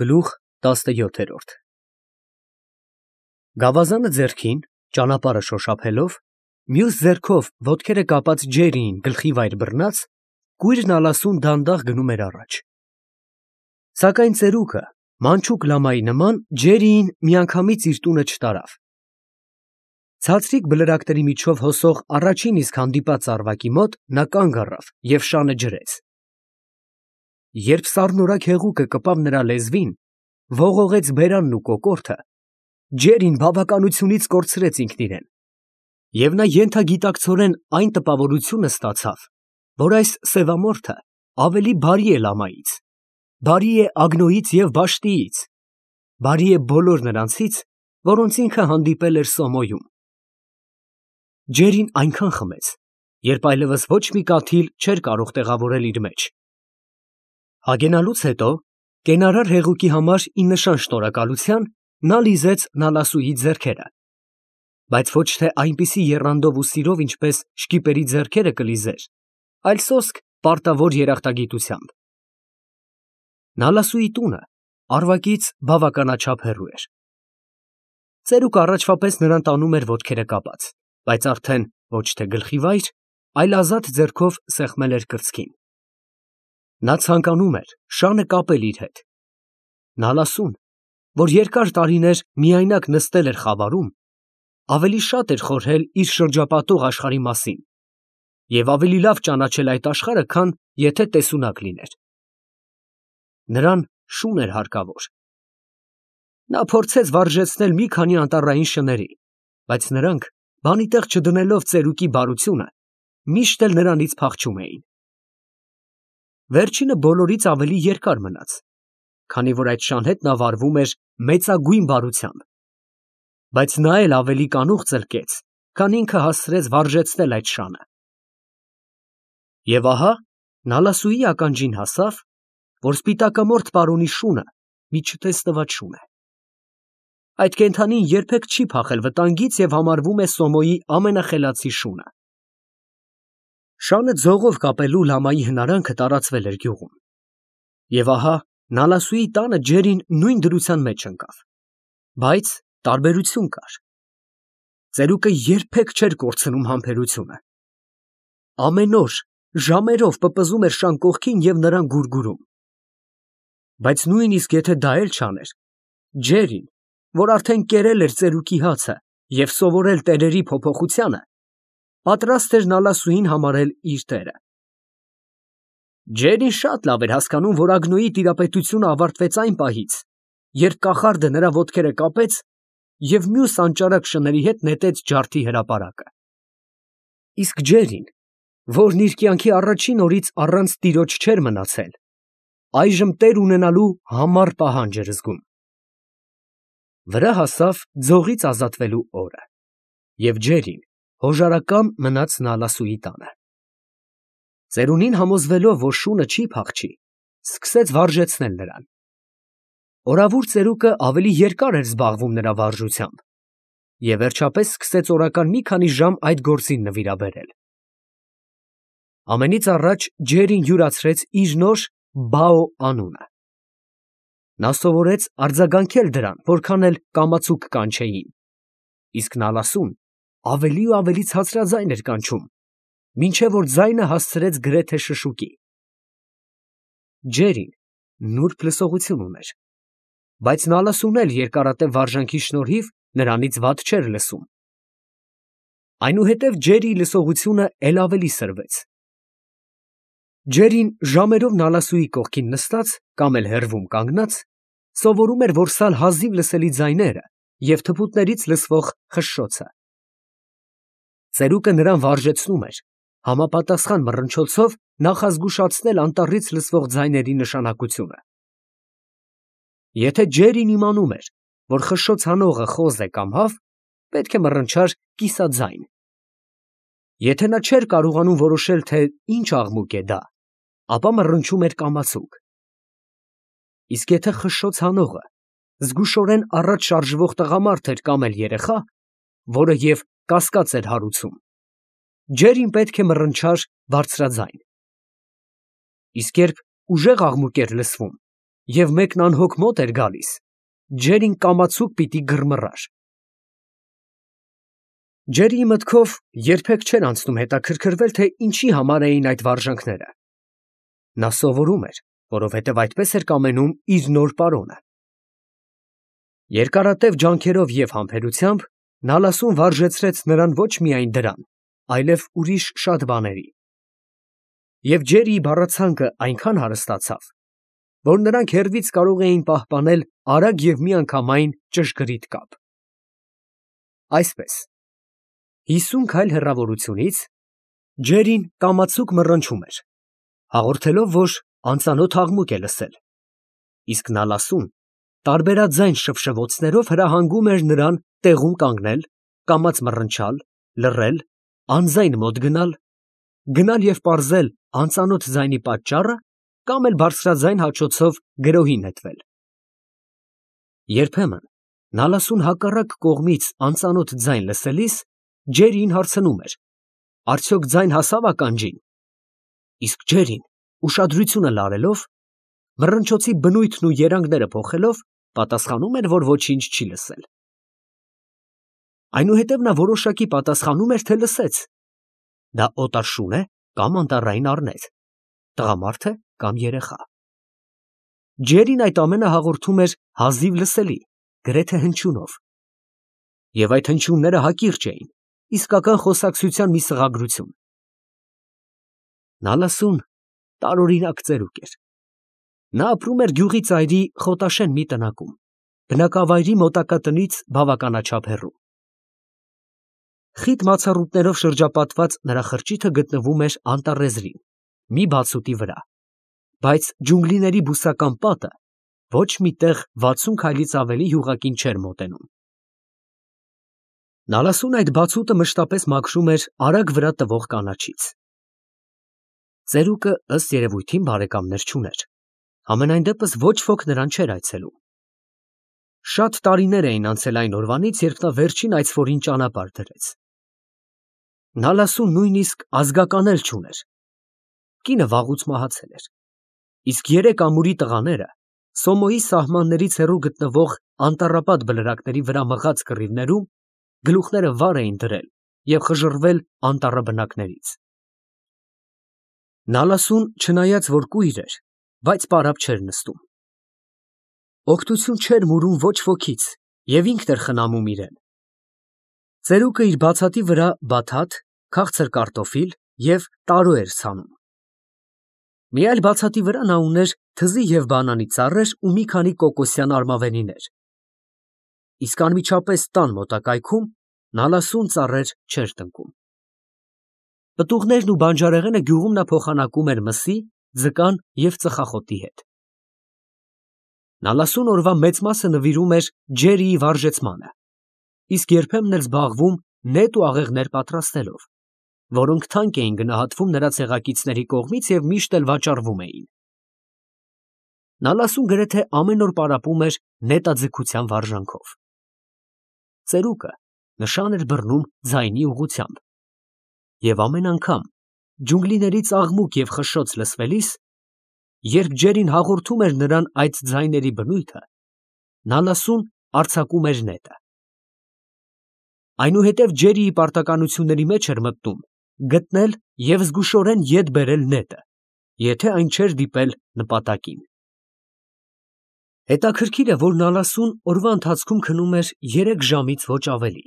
Գլուխ 17 Գավազանը ձեռքին, ճանապարհը շոշափելով, մյուս ձեռքով ոտքերը կապած Ջերիին գլխի վայր բռնած, կույրն ալասուն դանդաղ գնում էր առաջ։ Սակայն ծերուկը, մանչուկ լամայի նման, Ջերիին միանգամից իր տունը չտարավ։ Ցածրիկ բլրակների միջով հոսող առաջին իսկ հանդիպած ծառվակի մոտ նա կանգ առավ և շանը ջրեց։ Երբ սառնորակ հեղուկը կպավ նրա լեզվին, ողողեց բերանն ու կոկորդը, Ջերին բավականությունից կորցրեց ինքն իրեն, և նա ենթագիտակցորեն այն տպավորությունը ստացավ, որ այս սևամորթը ավելի բարի է լամայից, բարի է ագնոյից և բաշտիից, բարի է բոլոր նրանցից, որոնց ինքը հանդիպել էր Սոմոյում։ Ջերին այնքան խմեց, երբ այլևս ոչ մի կաթիլ չէր կարող տեղավորել իր մեջ։ Հագենալուց հետո, կենարար հեղուկի համար ի նշան շնորհակալության, նա լիզեց Նալասուի ձեռքերը, բայց ոչ թե այնպիսի եռանդով ու սիրով, ինչպես շկիպերի ձեռքերը կլիզեր, այլ սոսկ պարտավոր երախտագիտությամբ։ Նալասուի տունը Արվակից բավականաչափ հեռու էր։ Ծերուկը առաջվա պես նրան տանում էր ոտքերը կապած, բայց արդեն ոչ թե գլխի վայր, այլ ազատ ձեռքով սեղմել էր կրծքին։ Նա ցանկանում էր շանը կապել իր հետ։ Նալասուն, որ երկար տարիներ միայնակ նստել էր խավարում, ավելի շատ էր խորհել իր շրջապատող աշխարհի մասին և ավելի լավ ճանաչել այդ աշխարհը, քան եթե տեսունակ լիներ։ Նրան շուն էր հարկավոր։ Նա փորձեց վարժեցնել մի քանի անտառային շների, բայց նրանք, բանի տեղ չդնելով ծերուկի բարությունը, միշտ էլ նրանից փախչում էին։ Վերջինը բոլորից ավելի երկար մնաց, քանի որ այդ շան հետ նա վարվում էր մեծագույն բարությամբ, բայց նա էլ ավելի կանուխ ծլկեց, քան ինքը հասցրեց վարժեցնել այդ շանը։ Եվ ահա Նալասուի ականջին հասավ, որ սպիտակամորթ պարոնի շունը մի չտեսնված շուն է։ Այդ կենդանին երբեք չի փախել վտանգից և համարվում է Սոմոյի ամենախելացի շունը։ Շանը ձողով կապելու լամայի հնարանքը տարածվել էր գյուղում։ Եվ ահա Նալասուի տանը Ջերին նույն դրության մեջ ընկավ, բայց տարբերություն կար։ Ծերուկը երբեք չէր կորցնում համբերությունը։ Ամեն օր ժամերով պպզում էր շան կողքին և նրան գուրգուրում։ Բայց նույնիսկ եթե դա էլ չաներ, Ջերին, որ արդեն կերել էր ծերուկի հացը և սովորել տերերի փոփոխությանը, պատրաստ էր Նալասուին համարել իր տերը։ Ջերին շատ լավ էր հասկանում, որ ագնոյի տիրապետությունը ավարտվեց այն պահից, երբ կախարդը նրա ոտքերը կապեց և մյուս անճարակ շների հետ նետեց ջարդի հրապարակը։ Իսկ Ջերին, որն իր կյանքի առաջին օրից առանց տիրոջ չէր մնացել, այժմ տեր ունենալու համառ պահանջ էր զգում։ Վրա հասավ ձողից ազատվելու օրը, և Ջերին հոժարակամ մնաց Նալասուի տանը։ Ծերունին համոզվելով, որ շունը չի փախչի, սկսեց վարժեցնել նրան։ Օրավուր ծերուկը ավելի երկար էր զբաղվում նրա վարժությամբ և վերջապես սկսեց օրական մի քանի ժամ այդ գործին նվիրաբերել։ Ամենից առաջ Ջերին յուրացրեց իր նոր Բաո անունը։ Նա սովորեց արձագանքել դրան, որքան էլ կամացուկ կանչեին, իսկ Նալասուն ավելի ու ավելի ցածրաձայն էր կանչում, մինչև որ ձայնը հասցրեց գրեթե շշուկի։ Ջերին նուրբ լսողություն ուներ, բայց Նալասուն էլ երկարատև վարժանքի շնորհիվ նրանից վատ չէր լսում։ Այնուհետև Ջերիի լսողությունը էլ ավելի սրվեց։ Ջերին ժամերով Նալասուի կողքին նստած կամ էլ հեռվում կանգնած սովորում էր որսալ հազիվ լսելի ձայները և թփուտներից լսվող խշշոցը։ Ծերուկը նրան վարժեցնում էր, համապատասխան մռնչոցով նախազգուշացնել անտառից լսվող ձայների նշանակությունը։ Եթե Ջերին իմանում էր, որ խշշոց անողը խոզ է կամ հավ, պետք է մռնչար կիսաձայն։ Եթե նա չէր կարողանում որոշել, թե ինչ աղմուկ է դա, ապա մռնչում էր կամացուկ։ Իսկ եթե խշշոց անողը զգուշորեն առաջ շարժվող տղամարդ էր կամ էլ երեխա, որը և կասկած էր հարուցում, Ջերին պետք է մռնչար բարձրաձայն։ Իսկ երբ ուժեղ աղմուկ էր լսվում և մեկն անհոգ մոտ էր գալիս, Ջերին կամացուկ պիտի գրմռար։ Ջերիի մտքով երբեք չէր անցնում հետաքրքրվել, թե ինչի համար էին այդ վարժանքները։ Նա սովորում էր, որովհետև այդպես էր կամենում իր նոր պարոնը։ Երկարատև ջանքերով և համբերությամբ Նալասուն վարժեցրեց նրան ոչ միայն դրան, այլև ուրիշ շատ բաների։ Եվ Ջերիի բառացանկը այնքան հարստացավ, որ նրանք հեռվից կարող էին պահպանել արագ և միանգամայն ճշգրիտ կապ։ Այսպես, 50 քայլ հեռավորությունից Ջերին կամացուկ մռնչում էր, հաղորդելով, որ անծանոթ աղմուկ է լսել, իսկ Նալասուն տարբերաձայն շվշվոցներով հրահանգում էր նրան տեղում կանգնել, կամաց մռնչալ, լռել, անձայն մոտ գնալ և պարզել անծանոթ ձայնի պատճառը կամ էլ բարձրաձայն հաչոցով գրոհի նետվել։ Երբեմն Նալասուն հակառակ կողմից անծանոթ ձայն լսելիս Ջերիին հարցնում էր. «Արդյոք ձայն հասա՞վ ականջին»։ Իսկ Ջերին, ուշադրությունը լարելով, մռնչոցի բնույթն ու երանգները փոխելով, պատասխանում էր, որ ոչինչ չի լսել։ Այնուհետև նա որոշակի պատասխանում էր, թե լսեց։ Դա օտար շուն է կամ անտառային առնետ, տղամարդ է կամ երեխա։ Ջերին այդ ամենը հաղորդում էր հազիվ լսելի, գրեթե հնչյունով։ Եվ այդ հնչյունները հակիրճ էին, իսկական խոսակցության մի սղագրություն։ Նալասուն տարօրինակ ծերուկ էր։ Նա ապրում էր գյուղի ծայրի խոտաշեն մի տնակում, բնակավայրի մոտակա տնից բավականաչափ հեռու։ Խիտ մացառուտներով շրջապատված նրա խրճիթը գտնվում էր անտառեզրին, մի բացուտի վրա, բայց ջունգլիների բուսական պատը ոչ մի տեղ 60 քայլից ավելի յուղակին չէր մոտենում։ Նալասուն այդ բացուտը մշտապես մաքրում էր արագ վրա տվող կանաչից։ Ծերուկը ըստ երևույթին բարեկամներ չուներ, համենայն դեպս ոչ ոք նրան չէր այցելում։ Շատ տարիներ էին անցել այն օրվանից, երբ նա վերջին այցվորին ճանապարհ դրեց։ Նալասուն նույնիսկ ազգական էլ չուներ։ Կինը վաղուց մահացել էր, իսկ 3 ամուրի տղաները Սոմոյի սահմաններից հեռու գտնվող անտառապատ բլրակների վրա մղած կռիվներում գլուխները վար էին դրել և խժռվել անտառը բնակներից։ Նալասուն, չնայած որ կույր էր, բայց պարապ չէր նստում։ Օգնություն չէր մուրում ոչ ոքից և ինքն էր խնամում իրեն։ Ծերուկը իր բացատի վրա բաթաթ, քաղցր կարտոֆիլ և տարո էր ցանում։ Մի այլ բացատի վրա նա ուներ թզի և բանանի ծառեր ու մի քանի կոկոսյան արմավենիներ։ Իսկ անմիջապես տան մոտակայքում Նալասուն ծառեր չէր տնկում։ Պտուղներն ու բանջարեղենը գյուղում նա փոխանակում էր մսի, ձկան և ծխախոտի հետ։ Նալասուն օրվա մեծ մասը նվիրում էր Ջերիի վարժեցմանը, իսկ երբեմն էլ զբաղվում նետ ու աղեղներ պատրաստելով, որոնք թանկ էին գնահատվում նրա ցեղակիցների կողմից և միշտ էլ վաճառվում էին։ Նալասուն գրեթե ամեն օր պարապում էր նետաձգության վարժանքով։ Ծերուկը նշան էր բռնում ձայնի ուղղությամբ, և ամեն անգամ ջունգլիներից աղմուկ և խշշոց լսվելիս, երբ Ջերին հաղորդում էր նրան այդ ձայների բնույթը, Նալասուն արձակում էր նետը։ Այնուհետև Ջերիի պարտականությունների մեջ էր մտնում գտնել և զգուշորեն ետ բերել նետը, եթե այն չէր դիպել նպատակին։ Հետաքրքիր է, որ Նալասուն օրվա ընթացքում քնում էր 3 ժամից ոչ ավելի,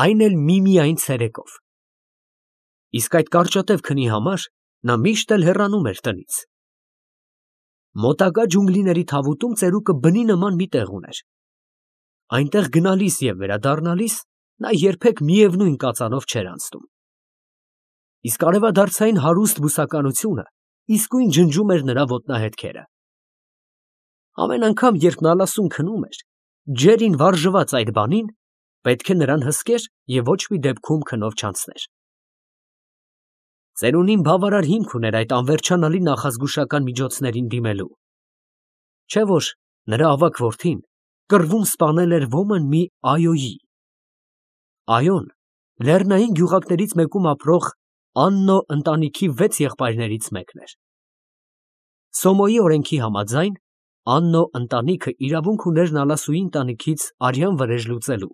այն էլ միմիայն ցերեկով։ Իսկ այդ կարճատև քնի համար նա միշտ էլ հեռանում էր տնից։ Մոտակա ջունգլիների թավուտում ծերուկը բնի նման մի տեղ ուներ։ Այնտեղ գնալիս և վերադառնալիս նա երբեք միևնույն կածանով չէր անցնում։ Իսկ արևադարձային հարուստ բուսականությունը իսկույն ջնջում էր նրա ոտնահետքերը։ Ամեն անգամ, երբ Նալասուն քնում էր, Ջերին վարժված այդ բանին, պետք է նրան հսկեր և ոչ մի դեպքում քնով չանցներ։ Ծերունին բավարար հիմք ուներ այդ անվերջանալի նախազգուշական միջոցներին դիմելու, չէ՞ որ նրա ավագ որդին կռվում սպանել էր ոմն մի այոյի։ Այոն լեռնային գյուղակներից մեկում ապրող Աննո ընտանիքի 6 եղբայրներից մեկն էր։ Սոմոյի օրենքի համաձայն Աննո ընտանիքը իրավունք ուներ Նալասուի ընտանիքից արյան վրեժ լուծելու։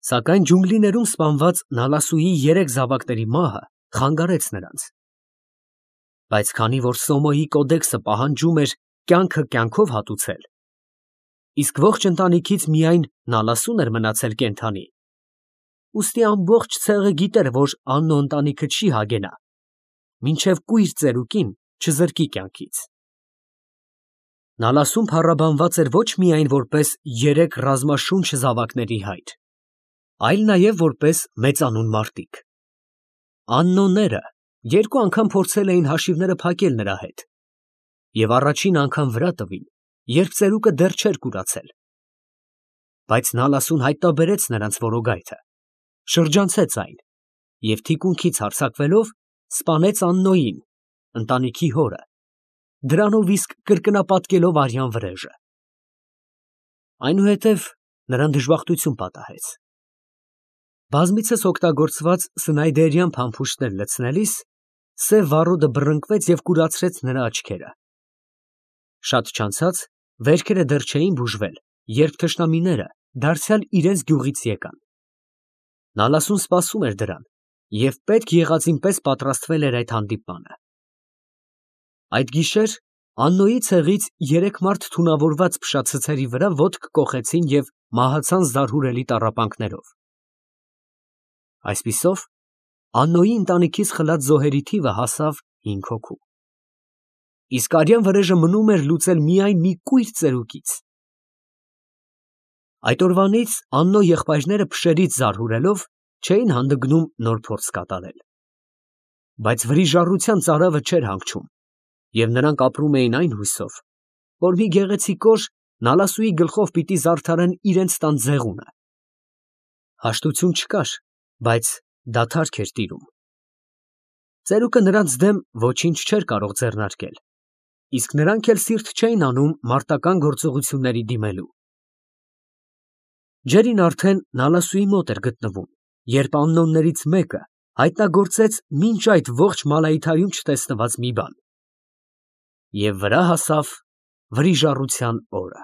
Սակայն ջունգլիներում սպանված Նալասուի 3 զավակների մահը խանգարեց նրանց։ Բայց քանի որ Սոմոյի կոդեքսը պահանջում էր կյանքը կյանքով հատուցել, իսկ ողջ ընտանիքից միայն Նալասուն էր մնացել կենդանի, ուստի ամբողջ ցեղը գիտեր, որ Աննո ընտանիքը չի հագենա, մինչև կույր ծերուկին չզրկի կյանքից։ Նալասուն փառաբանված էր ոչ միայն որպես 3 ռազմաշունչ զավակների հայր, այլ նաև որպես մեծանուն մարտիկ։ Աննոները 2 անգամ փորձել էին հաշիվները փակել նրա հետ և առաջին անգամ վրա տվին, երբ ծերուկը դեռ չէր կուրացել։ Բայց Նալասուն հայտնաբերեց նրանց որոգայթը, շրջանցեց այն և թիկունքից հարձակվելով սպանեց Աննոյին, ընտանիքի հորը, դրանով իսկ կրկնապատկելով արյան վրեժը։ Այնուհետև նրան դժբախտություն պատահեց։ Բազմիցս օգտագործված սնայդերյան փամփուշտներ լցնելիս սև վառոդը բռնկվեց և կուրացրեց նրա աչքերը։ Շատ չանցած վերքերը դեռ չէին բուժվել, երբ թշնամիները դարձյալ իրենց գյուղից եկան։ Նալասուն սպասում էր դրան և պետք եղածին պես պատրաստվել էր այդ հանդիպմանը։ Այդ գիշեր Աննոյի ցեղից 3 մարդ թունավորված փշացցերի վրա ոտք կոխեցին և մահացան զարհուրելի տառապանքներով։ Այսպիսով Աննոյի ընտանիքից խլած զոհերի թիվը հասավ 5 հոգու։ Իսկ արյան վրեժը մնում էր լուծել միայն մի կույր ծերուկից։ Այդ օրվանից Աննո եղբայրները փշերից զարհուրելով չէին հանդգնում նոր փորձ կատարել։ Բայց վրիժառության ծարավը չէր հանգչում, և նրանք ապրում էին այն հույսով, որ մի գեղեցիկ օր Նալասուի գլխով պիտի զարդարեն իրենց տան ձեղունը։ Հաշտություն չկար, բայց դադարք էր տիրում։ Ծերուկը նրանց դեմ ոչինչ չէր կարող ձեռնարկել, իսկ նրանք էլ սիրտ չէին անում մարտական գործողությունների դիմելու։ Ջերին արդեն Նալասուի մոտ էր գտնվում, երբ աննոներից մեկը հայտնագործեց մինչ այդ ողջ Մալայիթայում չտեսնված մի բան։ Եվ վրա հասավ վրիժառության օրը։